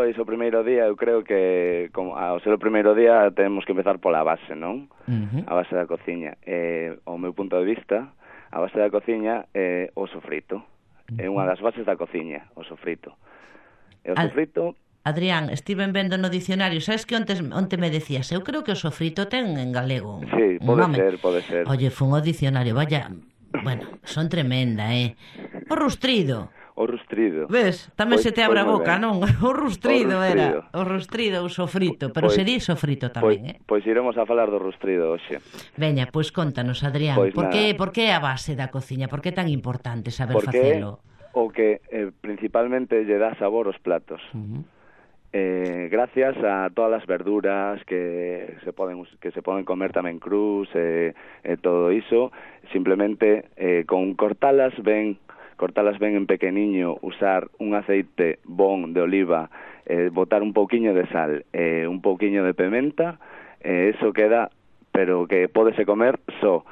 Pois o primeiro día, eu creo que ao ser o primeiro día temos que empezar pola base, non? A base da cociña. Ao meu punto de vista, a base da cociña é o sofrito. É unha das bases da cociña, o sofrito. E o sofrito... Adrián, estiven vendo no dicionario, sabes que onte me decías? Eu creo que o sofrito ten en galego. Sí, pode ser. Oye, fun ao dicionario, vaya... Bueno, son tremenda, O rustrido. O rustrido. Ves, tamén se te abre a boca, non? O rustrido era. O rustrido, o sofrito. Pero se di sofrito tamén, Pois iremos a falar do rustrido hoxe. Veña, pois contanos, Adrián, por que a base da cociña? Por que é tan importante saber facelo? O que principalmente lle dá sabor aos platos. Gracias a todas as verduras que se poden comer tamén crus e todo iso, simplemente con cortalas ben en pequeniño, usar un aceite bon de oliva, botar un pouquiño de sal, un pouquiño de pimenta, eso queda, pero que pódese comer só.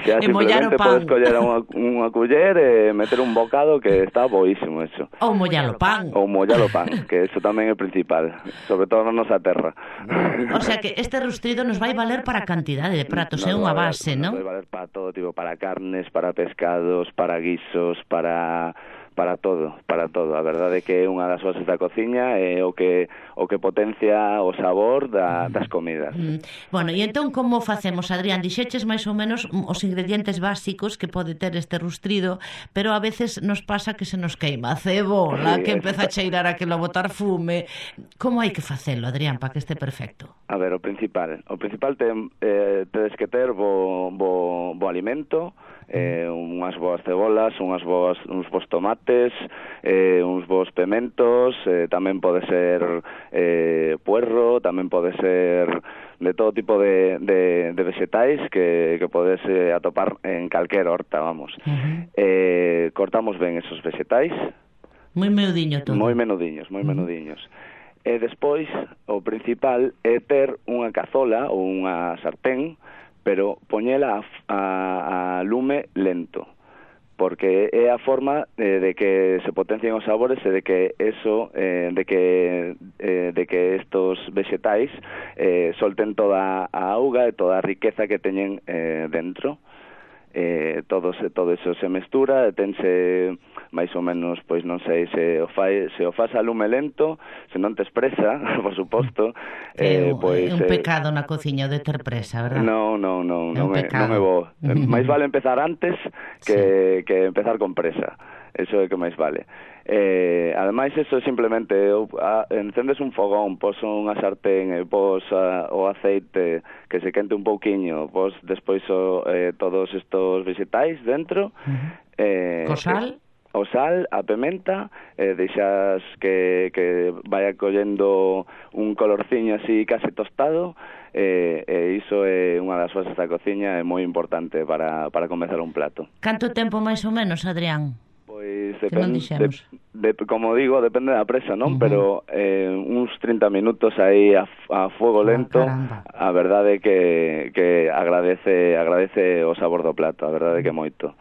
Xa simplemente podes coller unha culler e meter un bocado, que está boísimo eso. Ou mollar o pan, que eso tamén é principal, sobre todo na nosa terra. O sea que este rustrido nos vai valer para cantidade de pratos, é unha base, non? Nos vai valer para todo tipo, para carnes, para pescados, para guisos, para todo. A verdade é que é unha das bases da cociña, é o que potencia o sabor das comidas. Bueno, e entón como facemos, Adrián? Dixeches máis ou menos os ingredientes básicos que pode ter este rustrido, pero a veces nos pasa que se nos queima a cebola, que empeza a cheirar aquilo a botar fume. Como hai que facelo, Adrián, para que este perfecto? A ver, o principal tedes que ter bo alimento, unhas boas cebolas, uns bons tomates, uns bons pementos, tamén pode ser puerro, tamén pode ser de todo tipo de vegetais que podes atopar en calquera horta, vamos. Cortamos ben esos vegetais. Moi menudiño todo. Moi menudiños. E despois, o principal é ter unha cazola ou unha sartén, pero poñela a lume lento, porque é a forma de que se potencien os sabores e de que estos vegetais solten toda a auga e toda a riqueza que teñen dentro. Todo eso se mestura e tense máis ou menos, pois non sei se o faz a lume lento, se non te expresa, por suposto, é un pecado na cociña de ter presa, verdad? Non é bo. Máis vale empezar antes que empezar con presa. Eso é que máis vale. Ademais, eso simplemente encendes un fogón, pos unha sartén e pos o aceite que se quente un pouquiño, pos despois todos estos vegetais dentro, co sal, o sal, a pimenta, deixas que vaya collendo un colorciño así case tostado, e iso é unha das bases da cociña, é moi importante para comezar un plato. Canto tempo máis ou menos, Adrián? Pois depende, como digo, depende da presa, non? Pero uns 30 minutos aí a fuego lento, a verdade é que agradece o sabor do plato, a verdade é que moito.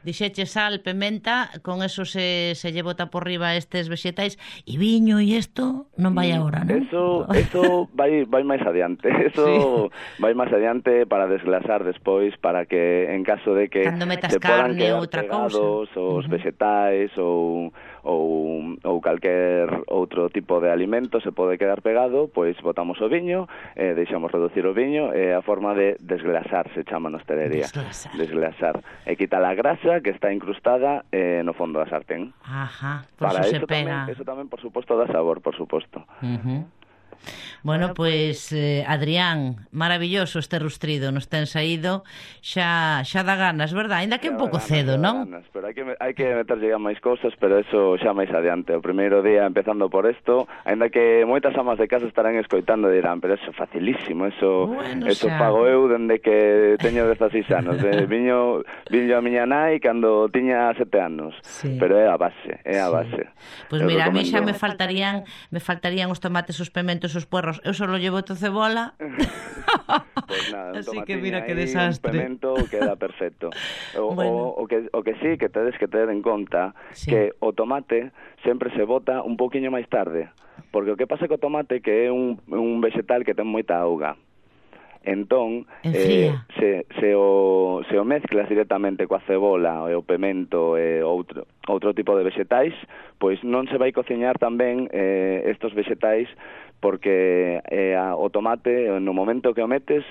Dixeche sal, pimenta, con eso se lle bota por riba estes vegetais, e viño e isto non vai agora, non? Eso vai máis adiante. Vai máis adiante para desglasar despois, para que en caso de que se podan quedar pegados os vegetais ou calquer outro tipo de alimento se pode quedar pegado, pois botamos o viño, deixamos reducir o viño, e a forma de desglasar se chama na hostelería. Desglasar. E quitar a grasa que está incrustada no fondo da sartén. Para eso se pega. Eso tamén, por suposto, dá sabor, por suposto. Bueno, pois, Adrián, maravilloso este rustrido, nos ten saído, xa dá ganas, verdad? Ainda que un pouco cedo, non? Pero hai que meterlle máis cousas, pero eso xa máis adiante. O primeiro día empezando por isto, ainda que moitas amas de casa estarán escoitando e dirán, pero eso é facilísimo, eso pago eu dende que teño 16 anos. Viño a miña nai cando tiña 7 anos, pero é a base, Pois mira, a mí xa me faltarían os tomates, os pementos, os puerros. Eu só llevo cebola Pois nada, un Así que tomatiño mira que aí, desastre. un pemento queda perfecto. Bueno. O que sí, que tedes que ter en conta Sí. que o tomate sempre se bota un poquinho máis tarde, porque o que pasa co tomate que é un vegetal que ten moita auga. Entón, Enfría. se o mezclas directamente coa cebola e o pemento e outro tipo de vegetais, pois non se vai cociñar tamén estos vegetais, porque o tomate no momento que o metes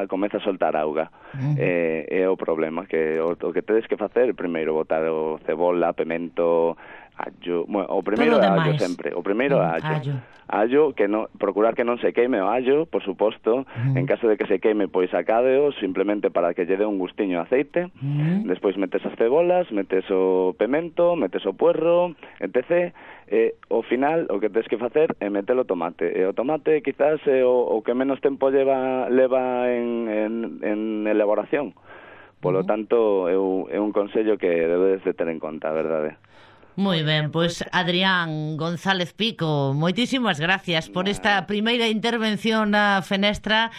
comeza a soltar auga. É o problema, que o que tedes que facer primeiro botar o cebola, pemento, allo, bueno, o primeiro é allo sempre, o primeiro é allo. Allo, que procurar que non se queime o allo, por suposto. En caso de que se queime, pois sacádeo simplemente para que lle dé un gustiño de aceite. Despois metes as cebolas, metes o pemento, metes o puerro, etc. Ao final o que tens que facer é meter o tomate. E o tomate quizás é o que menos tempo leva en elaboración. Polo tanto, é un consello que debedes de ter en conta, a verdade. Moi ben, pois Adrián González Pico, moitísimas gracias por esta primeira intervención na Fenestra